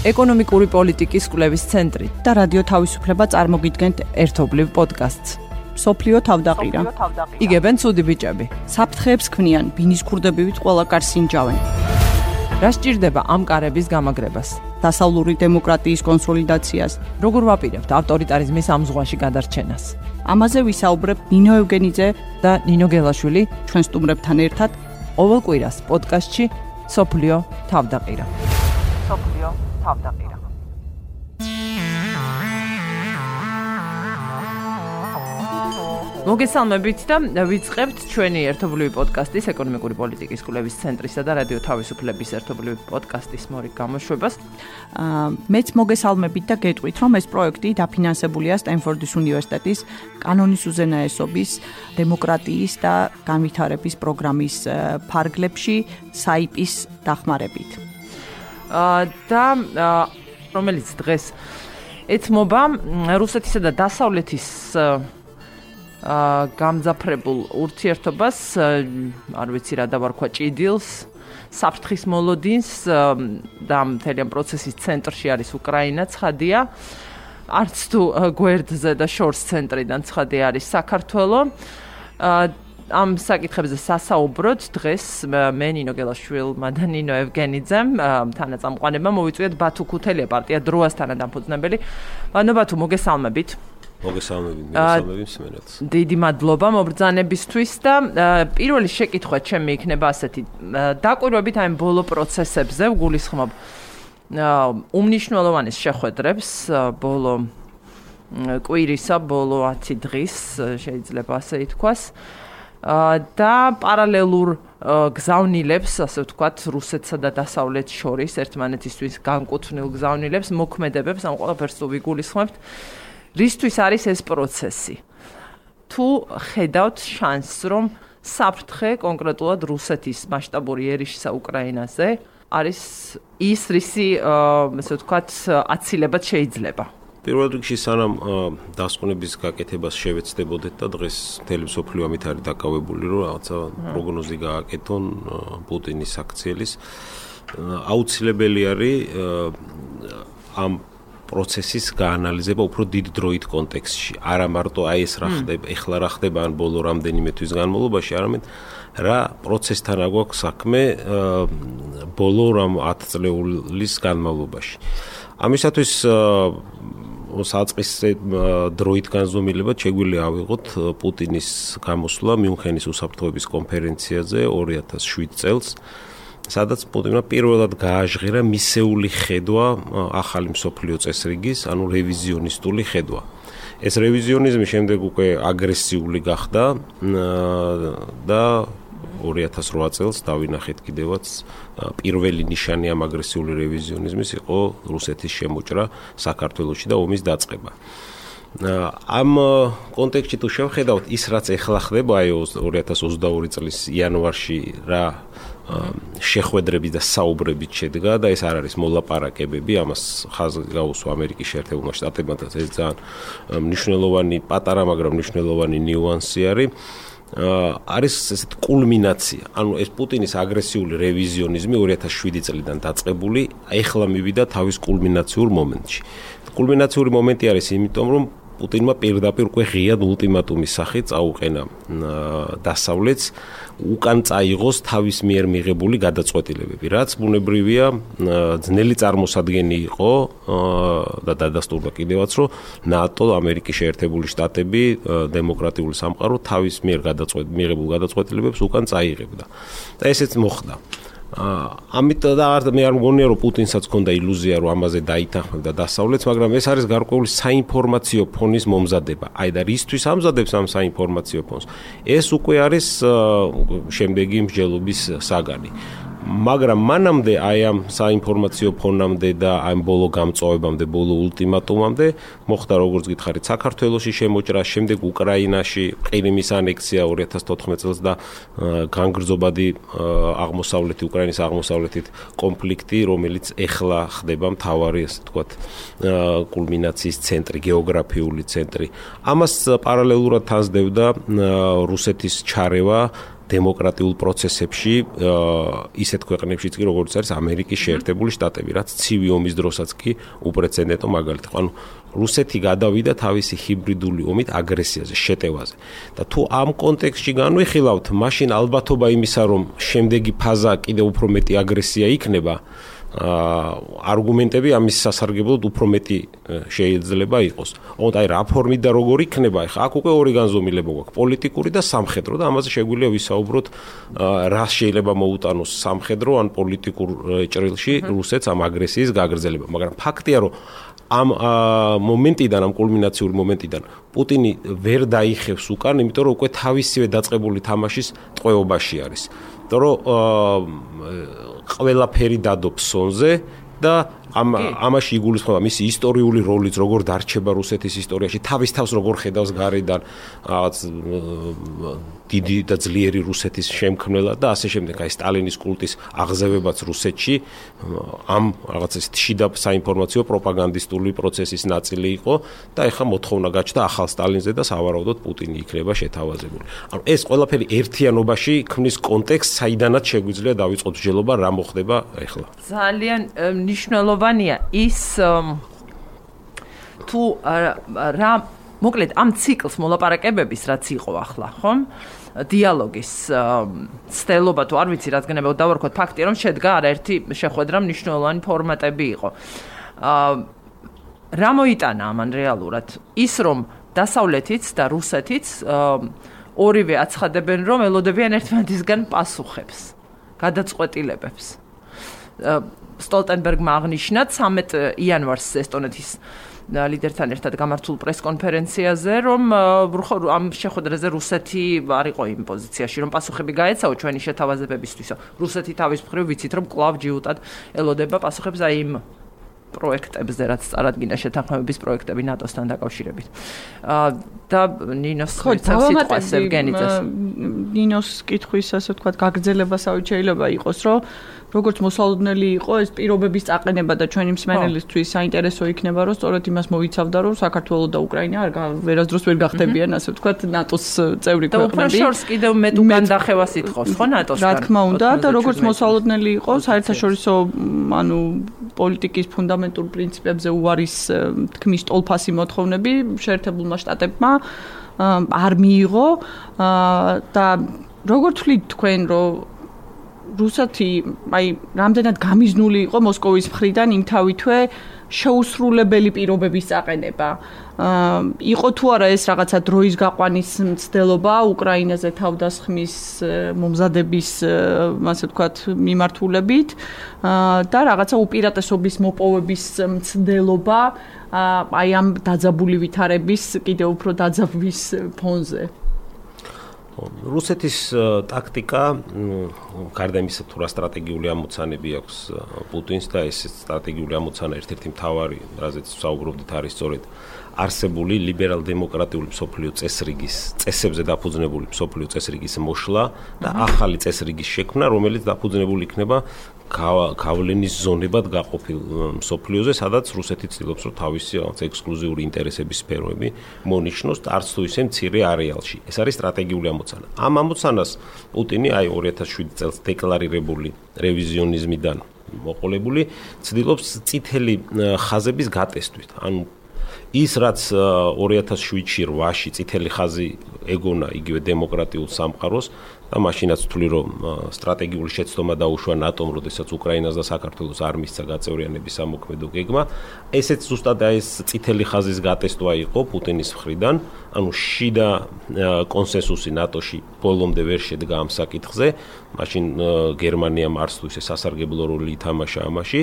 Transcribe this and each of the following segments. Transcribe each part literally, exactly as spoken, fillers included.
ეკონომიკური პოლიტიკის კვლევის ცენტრი და რადიო თავისუფლება წარმოგიდგენთ ერთობლივ პოდკასტს. სოფლიო თავდაყირა. იგებენ ცუდი ბიჭები. საფრთხეებს ქმნიან, ბინის ქურდებივით ყველა კარს ინჯავენ. რა სჭირდება ამ კარების გამაგრებას? დასავლური დემოკრატიის კონსოლიდაციას. როგორ ვაპირებთ ავტორიტარიზმის ამ ზღვაში გადარჩენას? ამაზე ვისაუბრებ ნინო ევგენიძე და ნინო გელაშვილი ჩვენ სტუმრებთან ერთად ყოველ კვირას პოდკასტში სოფლიო თავდაყირა. სოფლიო თავდაყირა. მოგესალმებით და ვიწყებთ ჩვენი ერთობლივი პოდკასტის ეკონომიკური პოლიტიკის კვლევის ცენტრისა და რადიო თავისუფლების ერთობლივი პოდკასტის მორიგ გამოშვებას. მეც მოგესალმებით და გეტყვით, რომ ეს პროექტი დაფინანსებულია სტენფორდის უნივერსიტეტის კანონის უზენაესობის, დემოკრატიის და განვითარების პროგრამის ფარგლებში საიპის დახმარებით. და რომელიც დღეს ეთმობა რუსეთისა და დასავლეთის გამძაფრებულ ურთიერთობას, არ ვიცი რა დავარქვა, ჭიდილს, საფრთხის მოლოდინს და მთელი ამ პროცესის ცენტრში არის უკრაინა, ცხადია. არც თუ გვერდზე და შორს ცენტრიდან ცხადია არის საქართველო. ამ საკითხებზე სასაუბროთ დღეს მე ნინო გელაშვილმა და ნინო ევგენიძემ თანაწამყვანებმა მოვიწვიეთ ბათუ ქუთელია პარტია დროასთან დამფუძნებელი. ბანო ბათუ, მოგესალმებით. მოგესალმებით, მოგესალმებით მსმენელს. დიდი მადლობა მობრძანებისთვის და პირველი შეკითხვა ჩემი იქნება ასეთი. დაკვირვებით აი ბოლო პროცესებზე ვგულისხმობ უმნიშვნელოვანეს შეხვედრებს ბოლო კვირისა, ბოლო ათი დღის, შეიძლება ასე ითქვას. და პარალელურ გზავნილებს, ასე ვთქვათ, რუსეთსა და დასავლეთს შორის ერთმანეთისთვის განკუთვნილ გზავნილებს, მოქმედებებს, ამ ყველაფერს თუ ვიგულისხმებთ. რისთვის არის ეს პროცესი? თუ ხედავთ შანსს, რომ საფრთხე კონკრეტულად რუსეთის მასშტაბური ერიშისა უკრაინაზე არის ის, რისი, ასე ვთქვათ, აცილებად შეიძლება? პირველ რიგში სანამ დასკვნების გაკეთებას შევეცდებოდეთ და დღეს მთელი მსოფლიო ამით არის დაკავებული, რომ რაღაცა პროგნოზი გააკეთონ პუტინის აქციელის, აუცილებელი არის ამ პროცესის გაანალიზება უფრო დიდ დროით კონტექსტში. არა მარტო აი ეს რა ხდება, ეხლა რა ხდება ან ბოლო რამდენიმე თვის განმავლობაში, არამედ რა პროცესთან აგვაქვს საქმე ბოლო რამ ათი წლეულის განმავლობაში. ამისათვის საწყის დროით განზომილებად შეგვიძლია ავიღოთ პუტინის გამოსვლა მიუნხენის უსაფრთხოების კონფერენციაზე ორი ათას შვიდ წელს, სადაც პუტინმა პირველად გააჟღერა მისეული ხედვა ახალი მსოფლიო წესრიგის, ანუ რევიზიონისტული ხედვა. ეს რევიზიონიზმი შემდეგ უკვე აგრესიული გახდა და ორი ათას რვა წელს დავინახეთ კიდევაც პირველი ნიშანი ამ აგრესიული რევიზიონიზმის იყო რუსეთის შემოჭრა საქართველოში და ომის დაწყება. ამ კონტექსტში თუ შევხედავთ ის რაც ეხლა ხდება, აი ორი ათას ოცდაორი წლის იანვარში რა შეხვედრები და საუბრებით შედგა და ეს არ არის მოლაპარაკებები, ამას ხაზი გაუსვა ამერიკის შეერთებულმა შტატებმა და ეს ძალიან მნიშვნელოვანი, პატარა, მაგრამ მნიშვნელოვანი ნიუანსი არის. არის ესეთ კულმინაცია, ანუ ეს პუტინის აგრესიული რევიზიონიზმი ორი ათას შვიდი წლიდან დაწყებული, ეხლა მივიდა თავის კულმინაციურ მომენტში. კულმინაციური მომენტი არის იმიტომ, რომ პუტინმა პირდაპირ უკვე ღიად ულტიმატუმის სახით წაუყენა დასავლეთს, უკან წაიღოს თავის მიერ მიღებული გადაწყვეტილებები, რაც ბუნებრივია ძნელი წარმოსადგენი იყო და დადასტურდა კიდევაც, რომ ნატო, ამერიკის შეერთებული შტატები, დემოკრატიული სამყარო თავის მიერ მიღებულ გადაწყვეტილებებს უკან წაიღებდა. და ესეც მოხდა. ამით და მე არ მგონია რომ პუტინსაც ჰქონდა ილუზია რომ ამაზე დაითანხმებდა დასავლეთს, მაგრამ ეს არის გარკვეული საინფორმაციო ფონის მომზადება. აი და რისთვის ამზადებს ამ საინფორმაციო ფონს? ეს უკვე არის შემდეგი მსჯელობის საგანი. მაგრამ მანამდე აი ამ საინფორმაციო ფონამდე და ამ ბოლო გამწვავებამდე, ბოლო ულტიმატუმამდე მოხდა როგორც გითხარით საქართველოში შემოჭრა, შემდეგ უკრაინაში ყირიმის ანექსია ორი ათას თოთხმეტ წელს და განგრძობადი აღმოსავლეთი უკრაინის აღმოსავლეთით კონფლიქტი, რომელიც ეხლა ხდება მთავარი, ასე ვთქვათ, კულმინაციის ცენტრი, გეოგრაფიული ცენტრი. ამას პარალელურად თანსდევდა რუსეთის ჩარევა დემოკრატიულ პროცესებში ისეთ ქვეყნებშიც კი როგორც არის ამერიკის შეერთებული შტატები, რაც ცივი ომის დროსაც კი უპრეცედენტო მაგალითი. ანუ რუსეთი გადავიდა თავისი ჰიბრიდული ომით აგრესიაზე, შეტევაზე. და თუ ამ კონტექსტში განვიხილავთ, მაშინ ალბათობა იმისა, რომ შემდეგი ფაზა კიდევ უფრო მეტი აგრესია იქნება, არგუმენტები ამის სასარგებლოდ უფრო მეტი შეიძლება იყოს. ოღონდ აი რა ფორმით და როგორ იქნება, ხა აქ უკვე ორი განზომილება გვაქვს, პოლიტიკური და სამხედრო და ამაზე შეგვიძლია ვისაუბროთ, რა შეიძლება მოუტანოს სამხედრო ან პოლიტიკურ ჭრილში რუსეთს ამ აგრესიის გაგრძელება. მაგრამ ფაქტია, რომ ამ მომენტიდან, ამ კულმინაციური მომენტიდან პუტინი ვერ დაიხევს უკან, იმიტომ რომ უკვე თავისივე დაწყებული თამაშის ტყვეობაში არის. იმიტომ რომ ყველაფერი დადობს სონზე და ამ ამაში იგულისხმება მისი ისტორიული როლიც, როგორ დარჩება რუსეთის ისტორიაში, თავის თავს როგორ ხედავს გარედან რაღაც დიდი და ძლიერი რუსეთის შემქმნელად და ასე შემდეგ. აი სტალინის კულტის აღზევებაც რუსეთში ამ რაღაც ეს შიდა საინფორმაციო პროპაგანდისტული პროცესის ნაწილი იყო და ეხლა მოთხოვნა გაჩნდა ახალ სტალინზე და სავარაუდოდ პუტინი იქნება შეთავაზებული. ანუ ეს ყველაფერი ერთიანობაში ქმნის კონტექსტს, საიდანაც შეგვიძლია დავიწყოთ მსჯელობა რა მოხდება ეხლა. ძალიან მნიშვნელოვანია ის თუ რა მოკლედ ამ ციკლს მოლაპარაკებების რაც იყო ახლა, ხომ? დიალოგის ცდელობა თუ არ ვიცი რაც გნებავ დავარქოთ ფაქტია რომ შედგა არაერთი შეხვედრა მნიშვნელოვანი ფორმატები იყო. რა მოიტანა ამან რეალურად? ის რომ დასავლეთიც და რუსეთიც ორივე აცხადებენ რომ ელოდებიან ერთმანეთისგან პასუხებს, გადაწყვეტილებებს. სტოლტენბერგმა აღნიშნა ცამეტ იანვარს ესტონეთის ლიდერთან ერთად გამართულ პრესკონფერენციაზე, რომ ამ შეხვედრაზე რუსეთი არ იყო იმ პოზიციაში, რომ პასუხები გაეცაო ჩვენი შეთავაზებებისთვის. რუსეთი თავის მხრივ ვიცით, რომ კვლავ ჯიუტად ელოდება პასუხებს აი იმ პროექტებზე, რაც წარადგინა შეთანხმებების პროექტები ნატოსთან დაკავშირებით. და ნინოს სიტყვას ევგენიძეს. ნინოს კითხვის ასე ვთქვათ, გაგრძელებასავით შეიძლება იყოს, რომ როგორც მოსალოდნელი იყო ეს პირობების წაყენება და ჩვენი მსმენელისთვის საინტერესო იქნება, რომ სწორედ იმას მოიცავდა, რომ საქართველო და უკრაინა არ ვერასდროს ვერ გახდებიან, ასე ვთქვათ, ნატოს წევრი ქვეყნები. და უფრო შორს კიდევ მეტ უკან დახევას ითხოვს, ხო, ნატოსთან? რა თქმა უნდა, და როგორც მოსალოდნელი იყო, საერთაშორისო, ანუ პოლიტიკის ფუნდამენტურ პრინციპებზე უარის თქმის ტოლფასი მოთხოვნები შეერთებულმა შტატებმა არ მიიღო და როგორ თვლით თქვენ, რომ რუსეთი აი რამდენად გამიზნული იყო მოსკოვის მხრიდან იმ თავითვე შეუსრულებელი პირობების წაყენება. იყო თუ არა ეს რაღაცა დროის გაყვანის მცდელობა უკრაინაზე თავდასხმის მომზადების, ასე ვთქვათ, მიმართულებით და რაღაცა უპირატესობის მოპოვების მცდელობა აი ამ დაძაბული ვითარების კიდევ უფრო დაძაბვის ფონზე. რუსეთის ტაქტიკა, გარდა იმისა, თუ რა სტრატეგიული ამოცანები აქვს პუტინს და ეს სტრატეგიული ამოცანა ერთ-ერთი მთავარი, რაზეც ვსაუბრობდით, არის სწორედ არსებული ლიბერალ-დემოკრატიული მსოფლიო წესრიგის, წესებზე დაფუძნებული მსოფლიო წესრიგის მოშლა და ახალი წესრიგის შექმნა, რომელიც დაფუძნებული იქნება გავლენის ზონებად გაყოფილ მსოფლიოზე, სადაც რუსეთი ცდილობს, რომ თავისი რაღაც ექსკლუზიური ინტერესების სფეროები მონიშნოს და არც თუ ისე მცირე არეალში. ეს არის სტრატეგიული ამოცანა. ამ ამოცანას პუტინი აი ორი ათას შვიდი წელს დეკლარირებული რევიზიონიზმიდან მოყოლებული ცდილობს წითელი ხაზების გატესტვით. ანუ ის რაც ორი ათას შვიდში რვაში წითელი ხაზი ეგონა იგივე დემოკრატიულ სამყაროს და მაშინაც ვთვლი რომ სტრატეგიული შეცდომა დაუშვა ნატომ, როდესაც უკრაინას და საქართველოს არ მისცა გაწევრიანების სამოქმედო გეგმა, ესეც ზუსტად ეს წითელი ხაზის გატესტვა იყო პუტინის მხრიდან, ანუ შიდა კონსენსუსი ნატოში ბოლომდე ვერ შედგა ამ საკითხზე, მაშინ გერმანიამ არც თუ ისე სასარგებლო როლი ითამაშა ამაში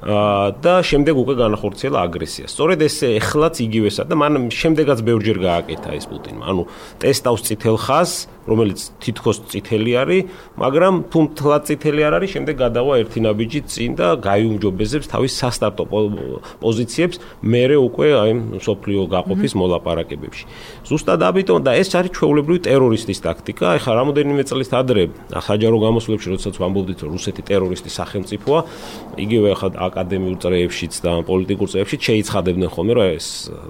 და შემდეგ უკვე განახორციელა აგრესია. სწორედ ეს ეხლაც იგივესა და მან შემდეგაც ბევრჯერ გააკეთა ეს პუტინმა. ანუ ტესტავს წითელ ხაზს, რომელიც თითქოს წითელი არის, მაგრამ თუ მთლად წითელი არ არის, შემდეგ გადავა ერთი ნაბიჯი წინ და გაიუმჯობესებს თავის სასტარტო პოზიციებს მერე უკვე აი სოფლიო გაყოფის მოლაპარაკებებში. ზუსტად ამიტომ და ეს არის ჩვეულებრივი ტერორისტის ტაქტიკა. ეხლა რამოდენიმე წელს ადრე საჯარო გამოსვლებში, როდესაც ვამბობდით, რომ რუსეთი ტერორისტის სახელმწიფოა, იგივე ახლა აკადემიურ წრეებშიც და პოლიტიკურ წრეებშიც შეიცხადებდნენ ხოლმე, რომ ეს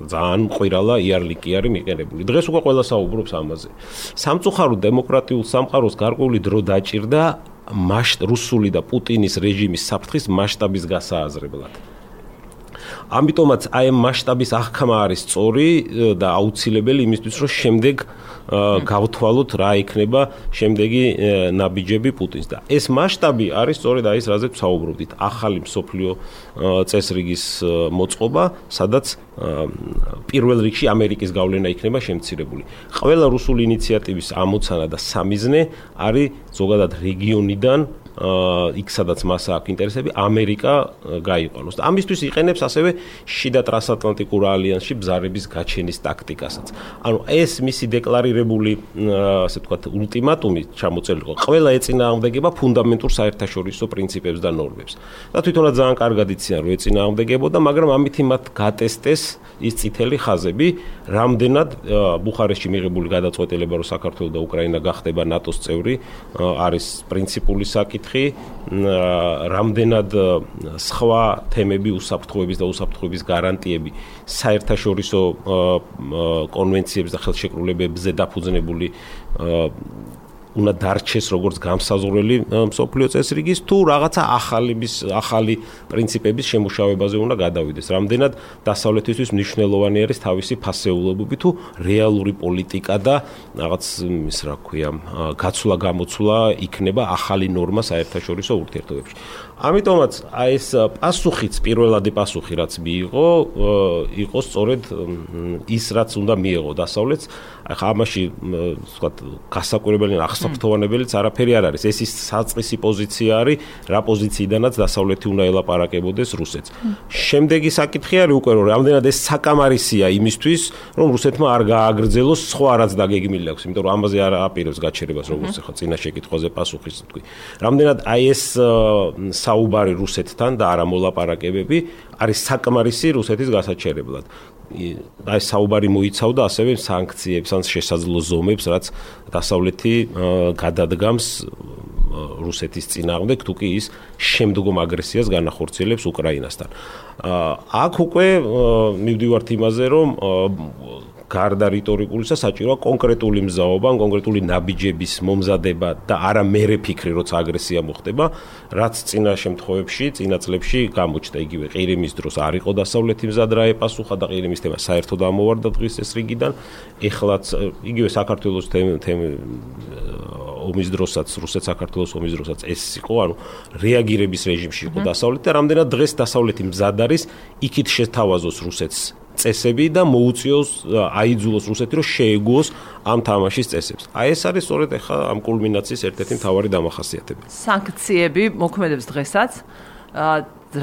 ძალიან მყირალა იარლიკი არის მიყენებული. დღეს უკვე ყველა საუბრობს ამაზე. სამწუხაროდ დემოკრატიულ სამყაროს გარკვეული დრო დაჭირდა რუსული და პუტინის რეჟიმის საფრთხის მასშტაბის გასააზრებლად. ამიტომაც აი ამ მასშტაბის აღქმა არის სწორი და აუცილებელი იმისთვის, რომ შემდეგ გავთვალოთ რა იქნება შემდეგი ნაბიჯები პუტინს და ეს მასშტაბი არის სწორედ აი ეს რაზეც ვსაუბრობდით, ახალი მსოფლიო წესრიგის მოწყობა, სადაც პირველ რიგში ამერიკის გავლენა იქნება შემცირებული. ყველა რუსული ინიციატივის ამოცანა და სამიზნე არის ზოგადად რეგიონიდან იქ სადაც მას აქვს ინტერესები ამერიკა გაიყვანოს და ამისთვის იყენებს ასევე შიდა ტრანსატლანტიკურ ალიანსში ბზარების გაჩენის ტაქტიკასაც. ანუ ეს მისი დეკლარირებული ასე ვთქვათ ულტიმატუმი ჩამოწევლილი იყო. ყველა ეწინააღმდეგება ფუნდამენტურ საერთაშორისო პრინციპებს და ნორმებს. და თვითონაც ძალიან კარგად იციან რომ ეწინააღმდეგებოდა, მაგრამ ამით მათ გატესტეს ის წითელი ხაზები, რამდენად ბუხარესტში მიღებული გადაწყვეტილება რომ საქართველო და უკრაინა გახდება ნატოს წევრი არის პრინციპული საკითხი. რამდენად სხვა თემები უსაფრთხოების და უსაფრთხოების გარანტიები საერთაშორისო კონვენციების და ხელშეკრულებებზე დაფუძნებული უნდა დარჩეს როგორც გამსაზღვრელი მსოფლიო წესრიგის თუ რაღაცა ახალების ახალი პრინციპების შემუშავებაზე უნდა გადავიდეს. რამდენად დასავლეთისთვის მნიშვნელოვანი არის თავისი ფასეულობები თუ რეალური პოლიტიკა და რაღაც ის რა ქვია გაცვლა გამოცვლა იქნება ახალი ნორმა საერთაშორისო ურთიერთობებში. ამიტომაც აი ეს პასუხიც პირველადი პასუხი რაც მიიღო იყო სწორედ ის რაც უნდა მიიღო დასავლეთს. ახლა ამაში ვთქვათ გასაკვირებელი აღსაფრთოვანებელიც არაფერი არ არის. ეს ის საწყისი პოზიცია არის, რა პოზიციიდანაც დასავლეთი უნდა ელაპარაკებოდეს რუსეთს. შემდეგი საკითხი არის უკვე რომ რამდენად ეს საკამარისია იმისთვის, რომ რუსეთმა არ გააგრძელოს სხვა რაც დაგეგმილი აქვს, იმიტომ რომ ამაზე არ აპირებს გაჩერებას როგორც ახლა წინა შეკითხვაზე პასუხის თქვი. რამდენად აი ეს საუბარი რუსეთთან და არა მოლაპარაკებები არის საკმარისი რუსეთის გასაჩერებლად. აი საუბარი მოიცავდა ასევე სანქციებს ან შესაძლო ზომებს, რაც დასავლეთი გადადგამს რუსეთის წინააღმდეგ, თუ კი ის შემდგომ აგრესიას განახორციელებს უკრაინასთან. აქ უკვე მივდივართ იმაზე, რომ გარდა რიტორიკულისა საჭიროა კონკრეტული მზაობა, კონკრეტული ნაბიჯების მომზადება და არა მერე ფიქრი, როცა აგრესია მოხდება, რაც წინა შემთხვევებში, წინა წლებში გამოჩნდა. იგივე ყირიმის დროს არ იყო დასავლეთი მზად რა ეპასუხა და ყირიმის თემა საერთოდ ამოვარდა დღის ეს რიგიდან. ეხლაც იგივე საქართველოს თემა ომის დროსაც, რუსეთ-საქართველოს ომის დროსაც ეს იყო, ანუ რეაგირების რეჟიმში იყო დასავლეთი და რამდენად დღეს დასავლეთი მზად არის იქით შეთავაზოს რუსეთს წესები და მოუწიოს აიძულოს რუსეთი რომ შეეგუოს ამ თამაშის წესებს. აი ეს არის სწორედ ახლა ამ კულმინაციის ერთ-ერთი მთავარი დამახასიათებელი. სანქციები მოქმედებს დღესაც.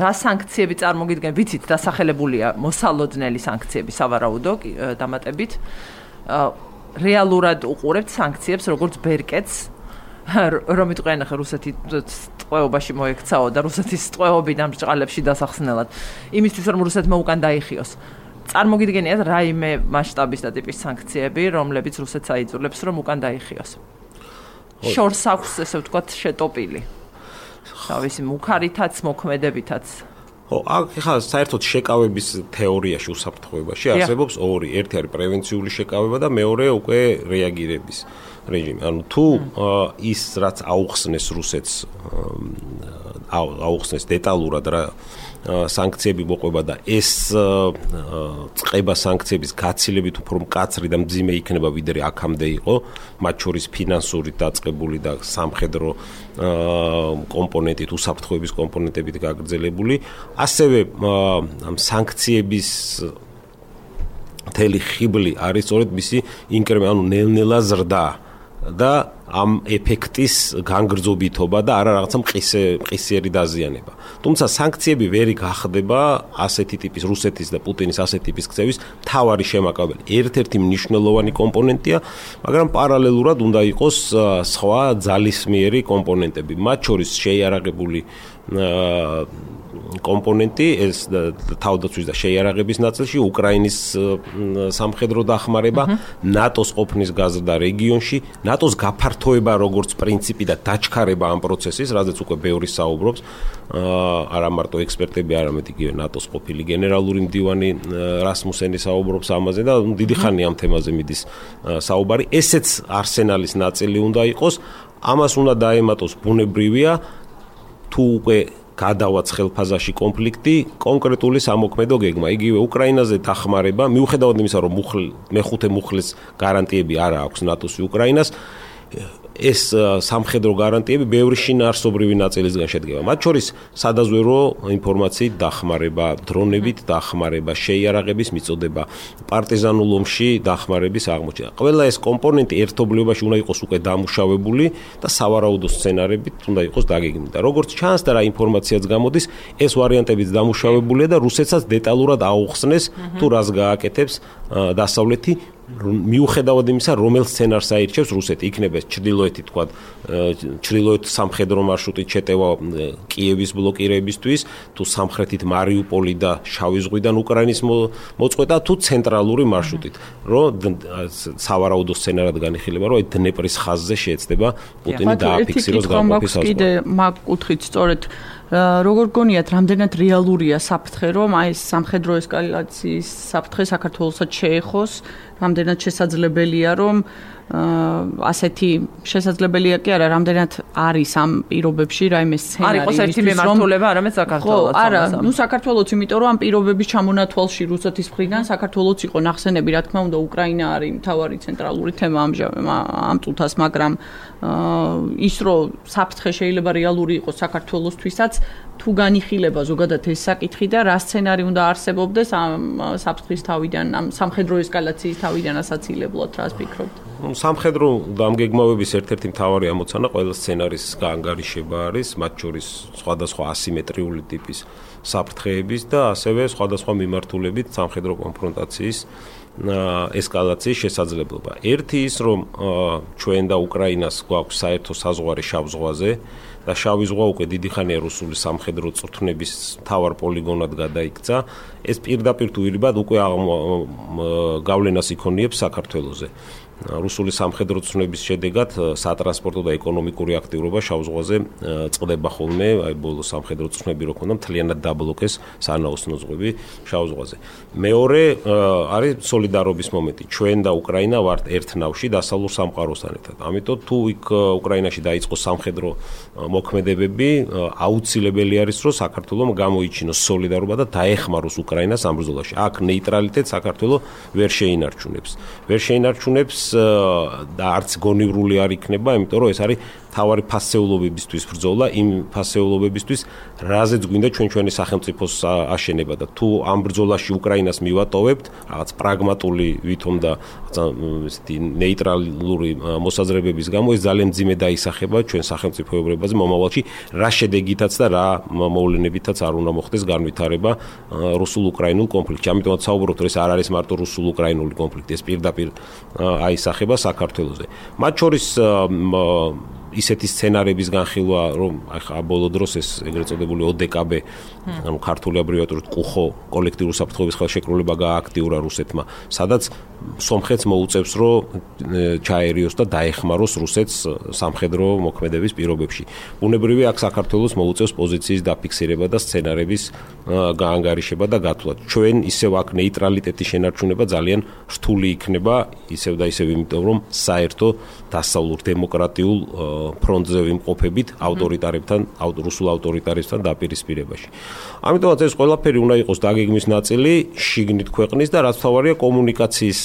რა სანქციები წარმოგიდგენ? ვიცით, დასახელებულია მოსალოდნელი სანქციები სავარაუდო დამატებით. რეალურად უყურებთ სანქციებს როგორც ბერკეტს, რომ იტყვიან ახლა რუსეთი ტყვეობაში მოექცაო და რუსეთის ტყვეობიდან ბრჭყალებში დასახსნელად. იმისთვის რომ რუსეთმა უკან დაიხიოს. წარმოგიდგენიათ რაიმე მასშტაბის და ტიპის სანქციები, რომლებიც რუსეთს აიძულებს რომ უკან დაიხიოს. შორს აქვს ესე ვთქვათ შეტოპილი. თავისი მუქარითაც, მოქმედებითაც. ხო, ახლა საერთოდ შეკავების თეორიაში უსაფრთხოებაში არსებობს ორი. ერთი არის პრევენციული შეკავება და მეორე უკვე რეაგირების რეჟიმი. ანუ თუ ის რაც აუხსნეს რუსეთს აუხსნეს დეტალურად რა სანქციები მოყვება და ეს წება სანქციების გაცილებით უფრო მკაცრი და მძიმე იქნება ვიდრე აქამდე იყო, მათ შორის ფინანსური დაწყებული და სამხედრო კომპონენტით, უსაფრთხოების კომპონენტებით გაგრძელებული, ასევე ამ სანქციების მთელი ხიბლი არის სწორედ მისი ინკრემენტი, ანუ ნელ-ნელა ზრდა და ამ ეფექტის განგრძობითობა და არა რაღაცა მყისე მყისიერი დაზიანება. თუმცა სანქციები ვერ გახდება ასეთი ტიპის რუსეთის და პუტინის ასეთი ტიპის ქცევის მთავარი შემაკავებელი. ერთ-ერთი მნიშვნელოვანი კომპონენტია, მაგრამ პარალელურად უნდა იყოს სხვა ძალისმიერი კომპონენტები. მათ შორის შეიარაღებული კომპონენტი ეს თავდაცვის და შეიარაღების ნაწილში უკრაინის სამხედრო დახმარება, ნატოს ყოფნის გაზრდა რეგიონში, ნატოს გაფართოება როგორც პრინციპი და დაჩქარება ამ პროცესის, რაზეც უკვე ბევრი საუბრობს, არა მარტო ექსპერტები, არამედ იგივე ნატოს ყოფილი გენერალური მდივანი რასმუსენი საუბრობს ამაზე და დიდი ხანია ამ თემაზე მიდის საუბარი. ესეც არსენალის ნაწილი უნდა იყოს, ამას უნდა დაემატოს ბუნებრივია თუ უკვე გადავაც ხელფაზაში კონფლიქტი, კონკრეტული სამოქმედო გეგმა. იგივე უკრაინაზე დახმარება, მიუხედავად იმისა, რომ მეხუთე მუხლის გარანტიები არა აქვს ნატოს უკრაინას, ეს სამხედრო გარანტიები ბევრი შინაარსობრივი ნაწილისგან შედგება. მათ შორის სადაზვერო ინფორმაციით დახმარება, დრონებით დახმარება, შეიარაღების მიწოდება, პარტიზანულ ომში დახმარების აღმოჩენა. ყველა ეს კომპონენტი ერთობლიობაში უნდა იყოს უკვე დამუშავებული და სავარაუდო სცენარებით უნდა იყოს დაგეგმილი. და როგორც ჩანს და რა ინფორმაციაც გამოდის, ეს ვარიანტებიც დამუშავებულია და რუსეთსაც დეტალურად აუხსნეს თუ რას გააკეთებს დასავლეთი მიუხედავად იმისა, რომელ სცენარს აირჩევს რუსეთი, იქნება ჩრდილოეთი, თქვა, ჩრდილოეთ სამხედრო მარშრუტით შეტევა კიევის ბლოკირებისთვის, თუ სამხრეთით მარიუპოლი და შავი ზღვიდან უკრაინის მოწყვეტა, თუ ცენტრალური მარშრუტით, რომ სავარაუდო სცენარად განიხილება, რომ დნეპრის ხაზზე შეეცდება პუტინი დააფიქსიროს გამოფის საზღვარი. კიდე მაგ კუთხით სწორედ როგორ გონიათ, რამდენად რეალურია საფრთხე, რომ აი ეს სამხედრო ესკალაციის საფრთხე საქართველოსაც შეეხოს, რამდენად შესაძლებელია, რომ ასეთი შესაძლებელია კი არა, რამდენად არის ამ პირობებში რაიმე სცენარი. არ იყოს ერთი მემართულება, არამედ საქართველოც. არა, ნუ საქართველოც, იმიტომ რომ ამ პირობების ჩამონათვალში რუსეთის მხრიდან საქართველოც იყო ნახსენები, რა თქმა უნდა, უკრაინა არის მთავარი ცენტრალური თემა ამ წუთას, მაგრამ ის რომ საფრთხე შეიძლება რეალური იყოს საქართველოსთვისაც, თუ განიხილება ზოგადად ეს საკითხი და რა სცენარი უნდა არსებობდეს ამ საფრთხის თავიდან, ამ სამხედრო ესკალაციის თავიდან ასაცილებლად, რას ფიქრობთ? სამხედრო დამგეგმავების ერთ-ერთი მთავარი ამოცანა ყველა სცენარის გაანგარიშება არის, მათ შორის სხვადასხვა ასიმეტრიული ტიპის საფრთხეების და ასევე სხვადასხვა მიმართულებით სამხედრო კონფრონტაციის ესკალაციის შესაძლებლობა. ერთი ის, რომ ჩვენ და უკრაინას გვაქვს საერთო საზღვარი შავ ზღვაზე და შავი ზღვა უკვე დიდი ხანია რუსული სამხედრო წვრთნების მთავარ პოლიგონად გადაიქცა, ეს პირდაპირ თუ ირიბად უკვე გავლენას იქონიებს საქართველოზე. რუსული სამხედრო წვრთნების შედეგად სატრანსპორტო და ეკონომიკური აქტიურობა შავ ზღვაზე წყდება ხოლმე, აი ბოლო სამხედრო წვრთნები რო ქონდა, მთლიანად დაბლოკეს სანაოსნო ზღვები შავ ზღვაზე. მეორე არის სოლიდარობის მომენტი. ჩვენ და უკრაინა ვართ ერთ ნავში დასავლურ სამყაროსთან ერთად. ამიტომ თუ იქ უკრაინაში დაიწყო სამხედრო მოქმედებები, აუცილებელი არის, რომ საქართველოს გამოიჩინოს სოლიდარობა და დაეხმაროს უკრაინას ამ ბრძოლაში. აქ ნეიტრალიტეტს საქართველოს ვერ შეინარჩუნებს. ვერ შეინარჩუნებს და არც გონივრული არ იქნება, იმიტომ რომ ეს არის თავარი ფასეულობებისთვის ბრძოლა, იმ ფასეულობებისთვის, რაზეც გვინდა ჩვენ ჩვენი სახელმწიფოს აშენება და თუ ამ ბრძოლაში უკრაინას მივატოვებთ, რაღაც პრაგმატული ვითომ და ესეთი ნეიტრალური მოსაზრებების გამო ეს ძალიან მძიმე დაისახება ჩვენ სახელმწიფოებრებაზე მომავალში, რა შედეგითაც და რა მოვლენებითაც არ უნდა მოხდეს განვითარება რუსულ-უკრაინულ კონფლიქტში. ამიტომაც საუბრობთ, რომ ეს არ არის მარტო რუსულ-უკრაინული კონფლიქტი, ეს პირდაპირ აისახება საქართველოზე. მათ შორის ისეთი სცენარების განხილვა, რომ ახლა ბოლო დროს ეს ეგრეთ წოდებული ო დე კა ბე, ანუ ქართული აბრევიატურით კუხო, კოლექტიური საფრთხეების ხელშეკრულება გააქტიურა რუსეთმა, სადაც სომხეთს მოუწევს, რომ ჩაერიოს და დაეხმაროს რუსეთს სამხედრო მოქმედების პირობებში. ბუნებრივია, აქ საქართველოს მოუწევს პოზიციის დაფიქსირება და სცენარების გაანგარიშება და გათვლა. ჩვენ ისევ აქ ნეიტრალიტეტის შენარჩუნება ძალიან რთული იქნება, ისევ და ისევ, იმიტომ რომ საერთო დასავლურ დემოკრატიულ ფრონტზე ვიმყოფებით ავტორიტარებთან, რუსულ ავტორიტარებთან დაპირისპირებაში. ამიტომაც ეს ყველაფერი უნდა იყოს დაგეგმვის ნაწილი შიგნით ქვეყნის და რაც თავარია კომუნიკაციის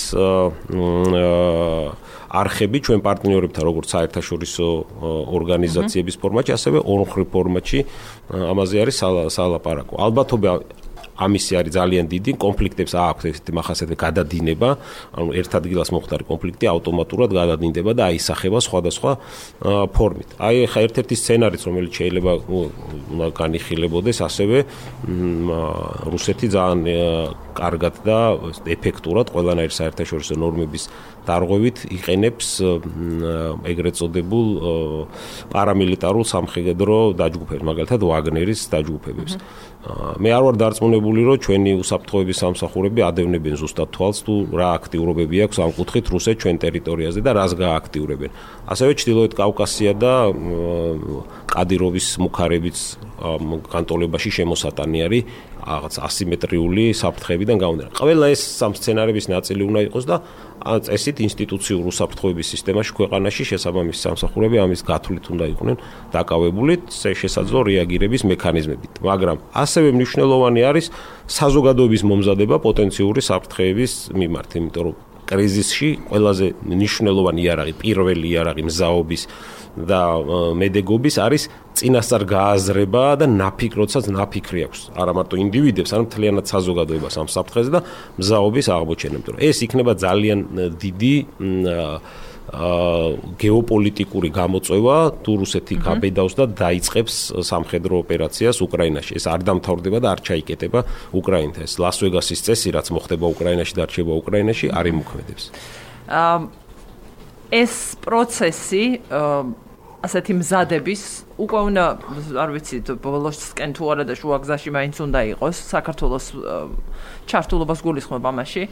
არხები ჩვენ პარტნიორებთან, როგორც საერთაშორისო ორგანიზაციების ფორმატში, ასევე ორმხრივ ფორმატში ამაზე არის სალაპარაკო. ალბათობა ამისი არის ძალიან დიდი, კონფლიქტებს აქვს ესეთი მახასიათებელი გადადინება, ანუ ერთ ადგილას მოხდარი კონფლიქტი ავტომატურად გადადინდება და აისახება სხვადასხვა ფორმით. აი ხა ერთ-ერთი სცენარიც, რომელიც შეიძლება უნდა განიხილებოდეს, ასევე რუსეთი ძალიან კარგად და ეფექტურად ყველანაირი საერთაშორისო ნორმების დარღვევით იყენებს ეგრეთ წოდებულ პარამილიტარულ სამხედრო დაჯგუფებს, მაგალითად ვაგნერის დაჯგუფებებს. მე არ ვარ დარწმუნებული, რომ ჩვენი უსაფრთხოების სამსახურები ადევნებენ ზუსტად თვალს თუ რა აქტიურობები აქვს ამ კუთხით რუსეთს ჩვენ ტერიტორიაზე და რას გააქტიურებენ. ასევე ჩრდილოეთ კავკასია და კადიროვის მუხარებიც განტოლებაში შემოსატანი არის რაღაც ასიმეტრიული საფრთხეებიდან გამომდინარე. ყველა ეს სამ სცენარების ნაწილი უნდა იყოს და წესით ინსტიტუციურ უსაფრთხოების სისტემაში ქვეყანაში შესაბამისი სამსახურები ამის გათვლით უნდა იყვნენ დაკავებული შესაძლო რეაგირების მექანიზმებით. მაგრამ ასევე მნიშვნელოვანი არის საზოგადოების მომზადება პოტენციური საფრთხეების მიმართ, იმიტომ რომ კრიზისში ყველაზე მნიშვნელოვანი იარაღი, პირველი იარაღი მზაობის და მედეგობის არის წინასწარ გააზრება და ნაფიქ, როდესაც ნაფიქრი აქვს არა მარტო ინდივიდებს, არამედ მთლიანად საზოგადოებას ამ საფრთხეზე და მზაობის აღმოჩენა. იმიტომ რომ ეს იქნება ძალიან დიდი გეოპოლიტიკური გამოწვევა თუ რუსეთი გაბედავს და დაიწყებს სამხედრო ოპერაციას უკრაინაში. ეს არ დამთავრდება და არ ჩაიკეტება უკრაინთან. ეს ლას ვეგასის წესი, რაც მოხდება უკრაინაში და რჩება უკრაინაში, არ იმოქმედებს. ეს პროცესი ასეთი მზადების უკვე უნდა, არ ვიცი, ბოლოსკენ თუ არა და შუაგზაში მაინც უნდა იყოს საქართველოს ჩართულობას გულისხმობ ამაში.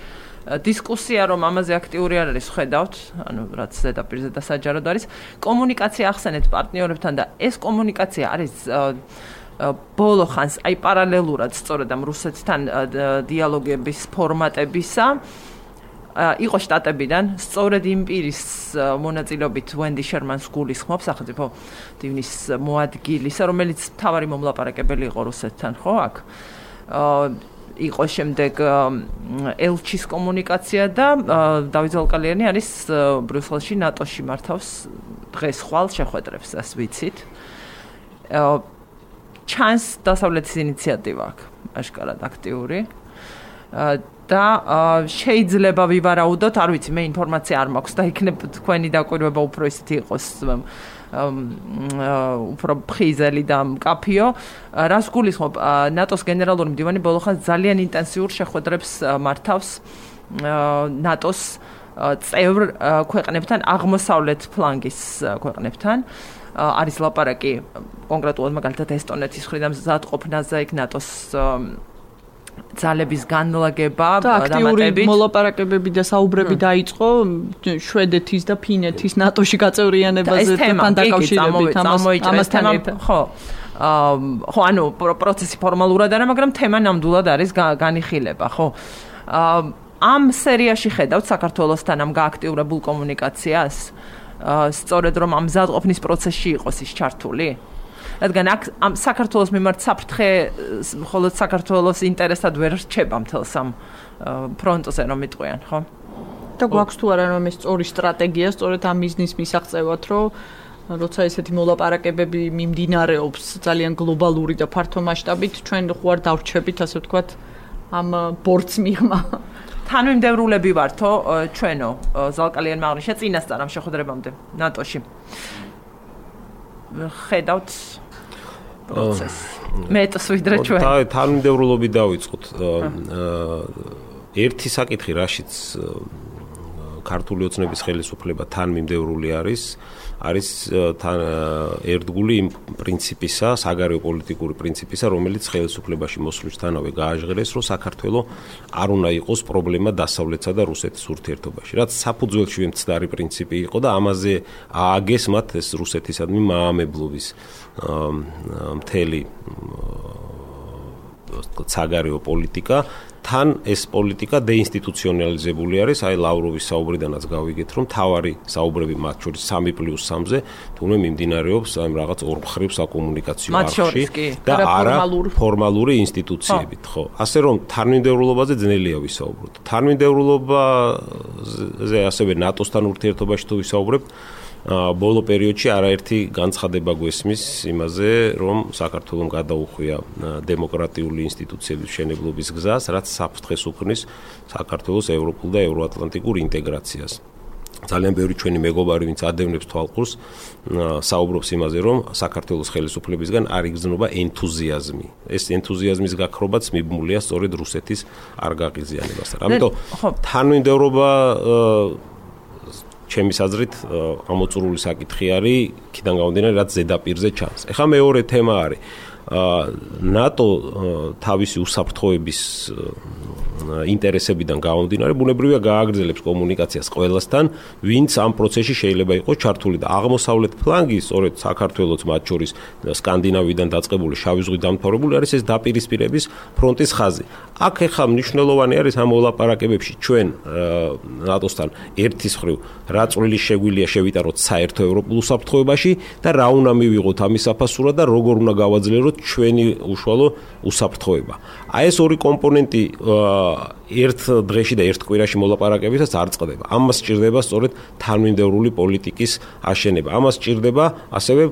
დისკუსია რომ ამაზე აქტიური არ არის, ხედავთ, ანუ რაც ზედაპირზე და საჯაროდ არის, კომუნიკაცია ახსენეთ პარტნიორებთან და ეს კომუნიკაცია არის ბოლო ხანს აი პარალელურად სწორედ ამ რუსეთთან დიალოგების ფორმატებისა იყო შტატებიდან, სწორედ იმ პირის მონაწილეობით ვენდი შერმანს გულისხმობს სახელმწიფო დივნის მოადგილისა, რომელიც მთავარი მომლაპარაკებელი იყო რუსეთთან, ხო, აქ? იყო შემდეგ ელჩის კომუნიკაცია და დავით ზოლკალიანი არის ბრიუსელში ნატოში მართავს დღეს ხვალ შეხვედრებს, ეს ვიცით. ჩანს დასავლეთის ინიციატივა აქ, აშკარად აქტიური. და შეიძლება ვივარაუდოთ, არ ვიცი, მე ინფორმაცია არ მაქვს და იქნებ თქვენი დაკვირვება უფრო ისეთი იყოს უფრო ფხიზელი და მკაფიო. რას გულისხმობ, ნატოს გენერალური მდივანი ბოლოხანს ძალიან ინტენსიურ შეხვედრებს მართავს ნატოს წევრ ქვეყნებთან, აღმოსავლეთ ფლანგის ქვეყნებთან. არის ლაპარაკი კონკრეტულად მაგალითად ესტონეთის მხრიდან მზადყოფნაზე იქ ნატოს ძალების განლაგება და აქტიური მოლაპარაკებები და საუბრები დაიწყო შვედეთის და ფინეთის ნატოში გაწევრიანებაზე თან დაკავშირებით ამასთან ხო ხო ანუ პროცესი ფორმალურად არა, მაგრამ თემა ნამდვილად არის განიხილება, ხო. ამ სერიაში ხედავთ საქართველოსთან ამ გააქტიურებულ კომუნიკაციას, სწორედ რომ ამ მზადყოფნის პროცესში იყოს ის ჩართული? რადგან აქ ამ საქართველოს მიმართ საფრთხე მხოლოდ საქართველოს ინტერესად ვერ რჩება მთელს ამ ფრონტზე რომ იტყვიან, ხო? და გვაქვს თუ არა რომ ეს სწორი სტრატეგია, სწორედ ამ მიზნის მისაღწევად, რომ როცა ესეთი მოლაპარაკებები მიმდინარეობს ძალიან გლობალური და ფართო მასშტაბით, ჩვენ ხო არ დავრჩებით, ასე ვთქვათ, ამ ბორცს მიღმა. თანმიმდევრულები ვართო ჩვენო ზალკალიანმა აღნიშნა წინასწარ ამ შეხვედრებამდე ნატოში. ხედავთ პროცესს. მეტს ვიდრე ჩვენ. თანმიმდევრულობი დავიწყოთ. ერთი საკითხი, რაშიც ქართული ოცნების ხელისუფლება თანმიმდევრული არის, არის თან ერთგული იმ პრინციპისა, საგარეო პოლიტიკური პრინციპისა, რომელიც ხელისუფლებაში მოსვლისთანავე გააჟღერეს, რომ საქართველოს არ უნდა იყოს პრობლემა დასავლეთსა და რუსეთის ურთიერთობაში. რაც საფუძველში მცდარი პრინციპი იყო და ამაზე ააგეს მათ ეს რუსეთისადმი მაამებლობის მთელი საგარეო პოლიტიკა. თან ეს პოლიტიკა დეინსტიტუციონალიზებული არის, აი ლავროვის საუბრიდანაც გავიგეთ, რომ თავარი საუბრები მათ შორის სამი პლუს სამზე თუნდაც მიმდინარეობს აი რაღაც ორმხრივ საკომუნიკაციო არხში და არა ფორმალური ინსტიტუციებით, ხო. ასე რომ თანმიმდევრულობაზე ძნელია ვისაუბროთ. თანმიმდევრულობაზე ასევე ნატოსთან ურთიერთობაში თუ ვისაუბრებთ, ბოლო პერიოდში არაერთი განცხადება გვესმის იმაზე, რომ საქართველოს გადაუხვია დემოკრატიული ინსტიტუციების მშენებლობის გზას, რაც საფრთხეს უქმნის საქართველოს ევროპულ და ევროატლანტიკურ ინტეგრაციას. ძალიან ბევრი ჩვენი მეგობარი, ვინც ადევნებს თვალყურს, საუბრობს იმაზე, რომ საქართველოს ხელისუფლებისგან არ იგრძნობა ენთუზიაზმი. ეს ენთუზიაზმის გაქრობაც მიბმულია სწორედ რუსეთის არ გაღიზიანებასთან. ამიტომ თანმიმდევრობა ჩემის აზრით ამოწურული საკითხი არის, იქიდან გამომდინარე, რაც ზედაპირზე ჩანს. ეხლა მეორე თემა არის ნატო თავისი უსაფრთხოების ინტერესებიდან გამომდინარე, ბუნებრივია გააგრძელებს კომუნიკაციას ყველასთან, ვინც ამ პროცესში შეიძლება იყოს ჩართული და აღმოსავლეთ ფლანგი, სწორედ საქართველოს მათ შორის სკანდინავიიდან დაწყებული შავი ზღვით დამთავრებული არის ეს დაპირისპირების ფრონტის ხაზი. აქ ეხლა მნიშვნელოვანი არის ამ მოლაპარაკებებში ჩვენ ნატოსთან ერთის მხრივ რა წვლილი შეგვიძლია შევიტაროთ საერთო ევროპულ უსაფრთხოებაში და რა უნდა მივიღოთ ამის საფასურად და როგორ უნდა გავაძლიეროთ ჩვენი უშუალო უსაფრთხოება. აი ეს ორი კომპონენტი ერთ დღეში და ერთ კვირაში მოლაპარაკებისას არ წყდება. ამას სჭირდება სწორედ თანმიმდევრული პოლიტიკის აშენება. ამას სჭირდება ასევე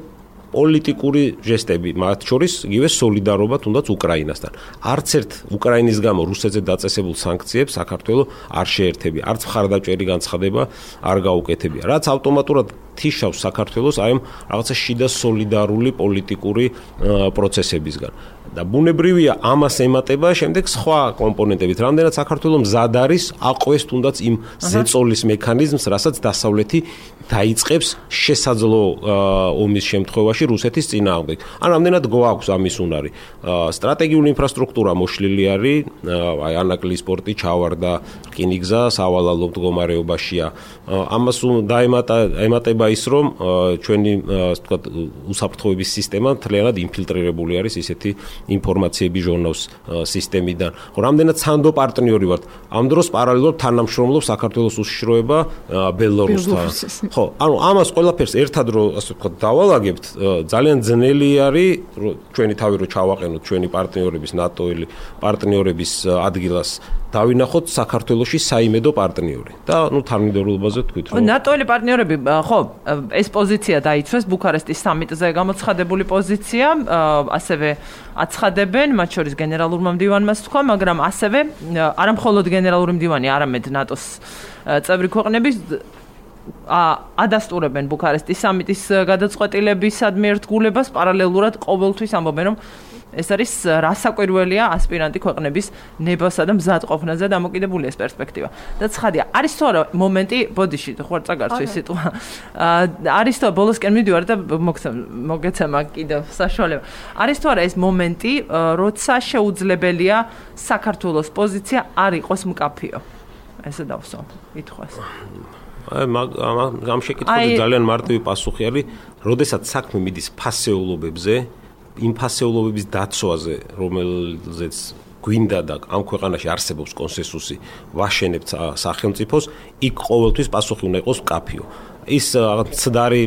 პოლიტიკური ჟესტები, მათ შორის იგივე სოლიდარობა თუნდაც უკრაინასთან. არც ერთ უკრაინის გამო რუსეთზე დაწესებულ სანქციებს საქართველოს არ შეერთებია, არც მხარდაჭერი განცხადება არ გაუკეთებია, რაც ავტომატურად თიშავს საქართველოს აი ამ რაღაცა შიდა სოლიდარული პოლიტიკური პროცესებისგან. და ბუნებრივია ამას ემატება შემდეგ სხვა კომპონენტებით, რამდენად საქართველოს მზად არის აყვეს თუნდაც იმ ზეწოლის მექანიზმს, რასაც დასავლეთი დაიწყებს შესაძლო ომის შემთხვევაში რუსეთის წინააღმდეგ. ან რამდენად გვაქვს ამის უნარი. სტრატეგიული ინფრასტრუქტურა მოშლილი არის, აი ანაკლის პორტი ჩავარდა, რკინიგზა სავალალო მდგომარეობაშია. ამას დაემატა ემატება ის, რომ ჩვენი ვთქვათ უსაფრთხოების სისტემა მთლიანად ინფილტრირებული არის ისეთი ინფორმაციების ჟურნალს სისტემიდან. ხო, რამდენად სანდო პარტნიორი ვართ. ამ დროს პარალელურად თანამშრომლობს საქართველოს უშიშროება ბელორუსთან. ხო, ანუ ამას ყველაფერს ერთად რო ასე ვთქვათ დავალაგებთ, ძალიან ძნელი არის ჩვენი თავი რო ჩავაყენოთ ჩვენი პარტნიორების ნატოელი პარტნიორების ადგილას დავინახოთ საქართველოში საიმედო პარტნიორი და ნუ თანმიმდევრულობაზე თქვით რომ ნატოელი პარტნიორები ხო ეს პოზიცია დაიცვეს ბუქარესტის სამიტზე გამოცხადებული პოზიცია ასევე აცხადებენ მათ შორის გენერალურმა მდივანმა თქვა მაგრამ ასევე არა მხოლოდ გენერალური მდივანი არამედ ნატოს წევრი ქვეყნების ადასტურებენ ბუქარესტის სამიტის გადაწყვეტილებისადმი ერთგულებას პარალელურად ყოველთვის ამბობენ რომ ეს არის რასაკვირველია ასპირანტი ქვეყნების ნებასა და მზად ყოფნაზე დამოკიდებული ეს პერსპექტივა. და ცხადია, არის თუ არა მომენტი, ბოდიში, ხო არ წაგარცო ეს სიტყვა. არის თუ ბოლოსკენ მიდივარ და მოგეცემა კიდევ საშუალება. არის თუ არა ეს მომენტი, როცა შეუძლებელია საქართველოს პოზიცია არ იყოს მკაფიო. ესე დავსო, ითხოვს. აი ამ შეკითხვაზე ძალიან მარტივი პასუხი არის, როდესაც საქმე მიდის ფასეულობებზე იმ ფასეულობების დაცვაზე, რომელზეც გვინდა და ამ ქვეყანაში არსებობს კონსენსუსი, ვაშენებთ სახელმწიფოს, იქ ყოველთვის პასუხი უნდა იყოს მკაფიო. ის ცდარი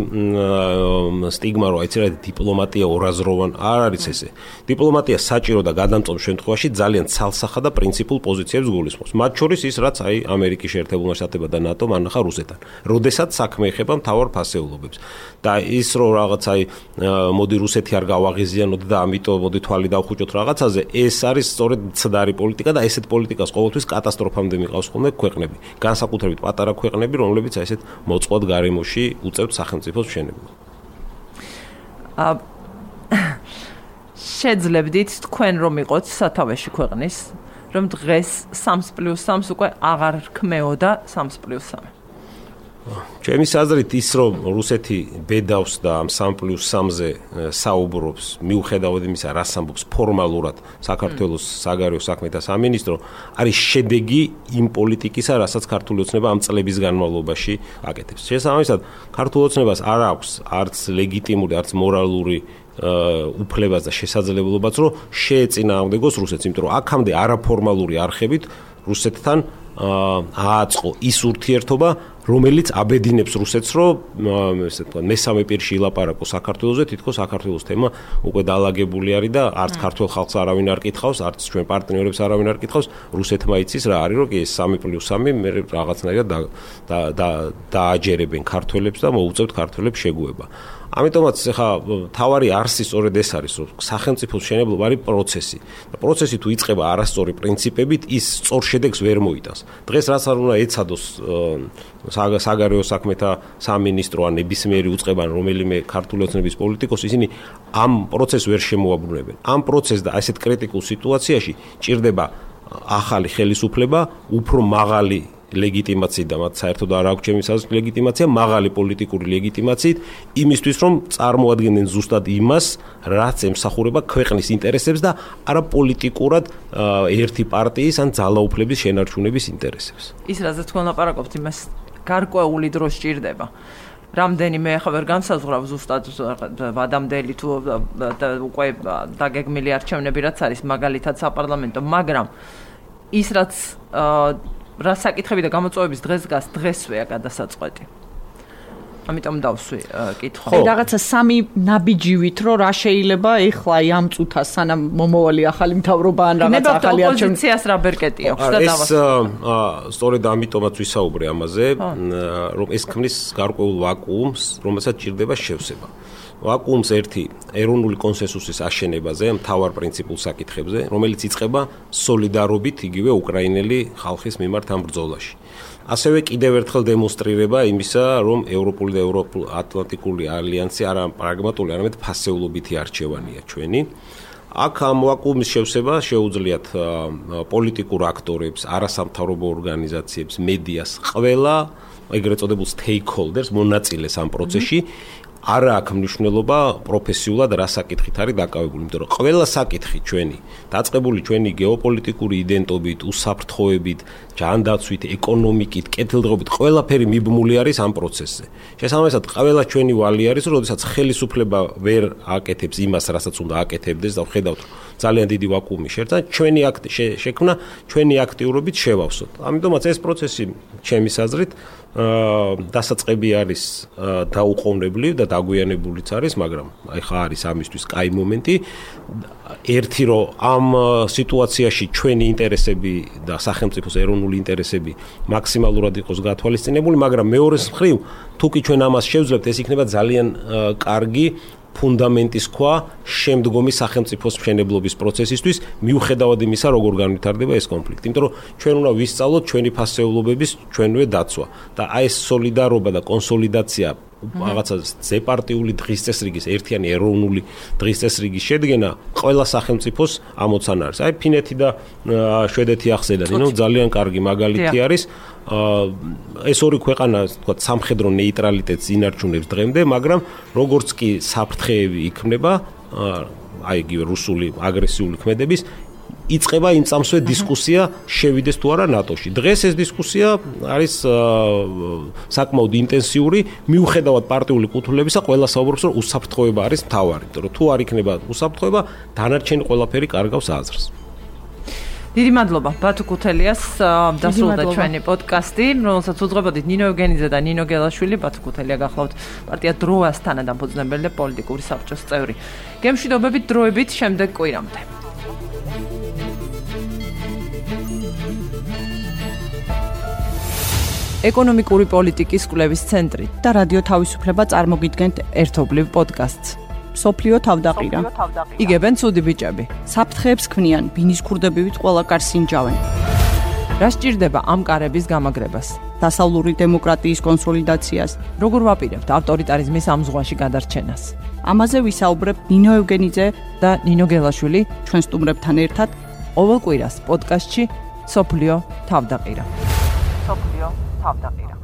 სტიგმა რო აიცი რა დიპლომატია ორაზროვანი არ არის ესე. დიპლომატია საჭირო და გადამწყვეტ შემთხვევაში ძალიან ცალსახა და პრინციპულ პოზიციებს გულისხმობს. მათ შორის ის რაც აი ამერიკის შეერთებულმა შტატებმა და ნატომ ანახა რუსეთთან. როდესაც საქმე ეხება მთავარ ფასეულობებს. და ის რო რაღაც აი მოდი რუსეთი არ გავაღიზიანოთ და ამიტომ მოდი თვალი დავხუჭოთ რაღაცაზე, ეს არის სწორედ ცდარი პოლიტიკა და ესეთ პოლიტიკას ყოველთვის კატასტროფამდე მიყავს ხოლმე ქვეყნები. განსაკუთრებით პატარა ქვეყნები, რომლებიც აი ესეთ მოწყვლად გარემოში უწევთ სახელმწიფოს მშენებლობას. აა შეძლებდით თქვენ რომ იყოთ სათავეში ქვეყნის, რომ დღეს სამს პლუს სამს უკვე აღარ ქმეოდა სამს პლუს სამი. ჩემი აზრით ის რომ რუსეთი ბედავს და ამ სამ პლუს სამზე საუბრობს, მიუხედავად იმისა, რას ამბობს ფორმალურად საქართველოს საგარეო საქმეთა სამინისტრო, არის შედეგი იმ პოლიტიკისა, რასაც ქართული ოცნება ამ წლების განმავლობაში აკეთებს. შესაბამისად, ქართულ ოცნებას არ აქვს არც ლეგიტიმური, არც მორალური უფლებაც და შესაძლებლობაც, რომ შეეწინააღმდეგოს რუსეთს, იმიტომ რომ აქამდე არაფორმალური არხებით რუსეთთან ააწყო ის ურთიერთობა, რომელიც აბედინებს რუსეთს, რომ ესე თქვა მესამე პირში ილაპარაკო საქართველოზე, თითქოს საქართველოს თემა უკვე დაალაგებული არის და არც ქართულ ხალხს არავინ არ კითხავს, არც ჩვენ პარტნიორებს არავინ არ კითხავს, რუსეთმა იცის რა არის, რომ ეს სამი პლუს სამი მე რაღაცნაირად და დააჯერებენ ქართველებს და მოუწევთ ქართველებს შეგუება. ამიტომაც ხა თავარი არსი სწორედ ეს არის, რომ სახელმწიფოს მშენებლობა არის პროცესი. და პროცესი თუ იწყება არასწორი პრინციპებით, ის სწორ შედეგს ვერ მოიტანს. დღეს რაც არ უნდა ეცადოს საგარეო საქმეთა სამინისტრო ან ნებისმიერი უწყებანი რომელიმე ქართული ოცნების პოლიტიკოსი, ისინი ამ პროცესს ვერ შემოაბრუნებენ. ამ პროცესს და ასეთ კრიტიკულ სიტუაციაში ჭირდება ახალი ხელისუფლება, უფრო მაღალი ლეგიტიმაციით და მათ საერთოდ არ აქვს ჩემი საზრით ლეგიტიმაცია, მაღალი პოლიტიკური ლეგიტიმაციით, იმისთვის რომ წარმოადგენენ ზუსტად იმას, რაც ემსახურება ქვეყნის ინტერესებს და არა პოლიტიკურად ერთი პარტიის ან ძალაუფლების შენარჩუნების ინტერესებს. ის რაზეც თქვენ ლაპარაკობთ, იმას გარკვეული დრო სჭირდება. რამდენიმე ახლა ვერ განსაზღვრავ ზუსტად ვადამდელი თუ უკვე დაგეგმილი არჩევნები რაც არის მაგალითად საპარლამენტო, მაგრამ ის რაც რა საკითხები და გამოწვევების დღეს დგას დღესვეა გადასაწყვეტი. ამიტომ დავსვი კითხვა. ხო, რაღაცა სამი ნაბიჯივით რომ რა შეიძლება ეხლა ამ წუთას სანამ მომავალი ახალი მთავრობა ან რაღაც ახალი არჩევნები. ოპოზიციას რა ბერკეტი აქვს და დავას. ეს სწორედ ამიტომაც ვისაუბრე ამაზე, რომ ეს ქმნის გარკვეულ ვაკუუმს, რომელსაც ჭირდება შევსება. ვაკუუმს ერთი ეროვნული კონსენსუსის აშენებაზე, მთავარ პრინციპულ საკითხებზე, რომელიც იწყება სოლიდარობით იგივე უკრაინელი ხალხის მიმართ ამ ბრძოლაში. ასევე კიდევ ერთხელ დემონსტრირება იმისა, რომ ევროპული და ევროატლანტიკური ალიანსი არა პრაგმატული, არამედ ფასეულობითი არჩევანია ჩვენი. აქ ამ ვაკუუმის შევსება შეუძლიათ პოლიტიკურ აქტორებს, არასამთავრობო ორგანიზაციებს, მედიას, ყველა ეგრეთ წოდებულ stakeholders მონაწილეს ამ პროცესში. არა აქვს მნიშვნელობა პროფესიულად რა საკითხით არის დაკავებული, იმიტომ რომ ყველა საკითხი ჩვენი, დაწყებული ჩვენი გეოპოლიტიკური იდენტობით, უსაფრთხოებით, ჯანდაცვით, ეკონომიკით, კეთილდღეობით, ყველაფერი მიბმული არის ამ პროცესზე. შესაბამისად, ყველა ჩვენი ვალი არის, რომ როდესაც ხელისუფლება ვერ აკეთებს იმას, რასაც უნდა აკეთებდეს და ვხედავთ, რომ ძალიან დიდი ვაკუუმი შეერთდა, ჩვენი აქტი შექმნა, ჩვენი აქტიურობით შევავსოთ. ამიტომაც ეს პროცესი ჩემის აზრით დასაწყები არის დაუყოვნებლივ და დაგვიანებულიც არის, მაგრამ ახლა არის ამისთვის კაი მომენტი. ერთი რომ ამ სიტუაციაში ჩვენი ინტერესები და სახელმწიფოს ეროვნული ინტერესები მაქსიმალურად იყოს გათვალისწინებული, მაგრამ მეორეს მხრივ, თუ კი ჩვენ ამას შევძლებთ, ეს იქნება ძალიან კარგი ფუნდამენტის ქვა შემდგომი სახელმწიფოს მშენებლობის პროცესისთვის, მიუხედავად იმისა, როგორ განვითარდება ეს კონფლიქტი. იმიტომ რომ ჩვენ უნდა ვისწავლოთ ჩვენი ფასეულობების ჩვენვე დაცვა და აი ეს სოლიდარობა და კონსოლიდაცია რაღაცა ზეპარტიული დღის წესრიგის, ერთიანი ეროვნული დღის წესრიგის შედგენა ყველა სახელმწიფოს ამოცანა არის. აი ფინეთი და შვედეთი ახსენეთ, ნუ ძალიან კარგი მაგალითი არის. ეს ორი ქვეყანა, თქვა, სამხედრო ნეიტრალიტეტს ინარჩუნებს დღემდე, მაგრამ როგორც კი საფრთხეები იქმნება, აი იგივე რუსული აგრესიული ქმედების იწყება იმ წამსვე დისკუსია შევიდეს თუ არა ნატოში. დღეს ეს დისკუსია არის საკმაოდ ინტენსიური, მიუხედავად პარტიული კუთვნილებისა, ყველა საუბრობს, რომ უსაფრთხოება არის მთავარი, იმიტომ რომ თუ არ იქნება უსაფრთხოება, დანარჩენი ყველაფერი კარგავს აზრს. დიდი მადლობა ბათუ ქუთელიას, დასრულდა ჩვენი პოდკასტი, რომელსაც უძღვებოდით ნინო ევგენიძე და ნინო გელაშვილი. ბათუ ქუთელია გახლავთ პარტია დროას თანადამფუძნებელი და პოლიტიკური საბჭოს წევრი. გემშვიდობებით დროებით შემდეგ კვირამდე. ეკონომიკური პოლიტიკის კვლევის ცენტრი და რადიო თავისუფლება წარმოგიდგენთ ერთობლივ პოდკასტს. სოფლიო თავდაყირა. იგებენ ცუდი ბიჭები. საფრთხეებს ქმნიან, ბინის ქურდებივით ყველა კარს ინჯავენ. რა სჭირდება ამ კარების გამაგრებას? დასავლური დემოკრატიის კონსოლიდაციას. როგორ ვაპირებთ ავტორიტარიზმის ამ ზღვაში გადარჩენას? ამაზე ვისაუბრებ ნინო ევგენიძე და ნინო გელაშვილი ჩვენ სტუმრებთან ერთად ყოველ კვირას პოდკასტში სოფლიო თავდაყირა. სოფლიო თავდაყირა.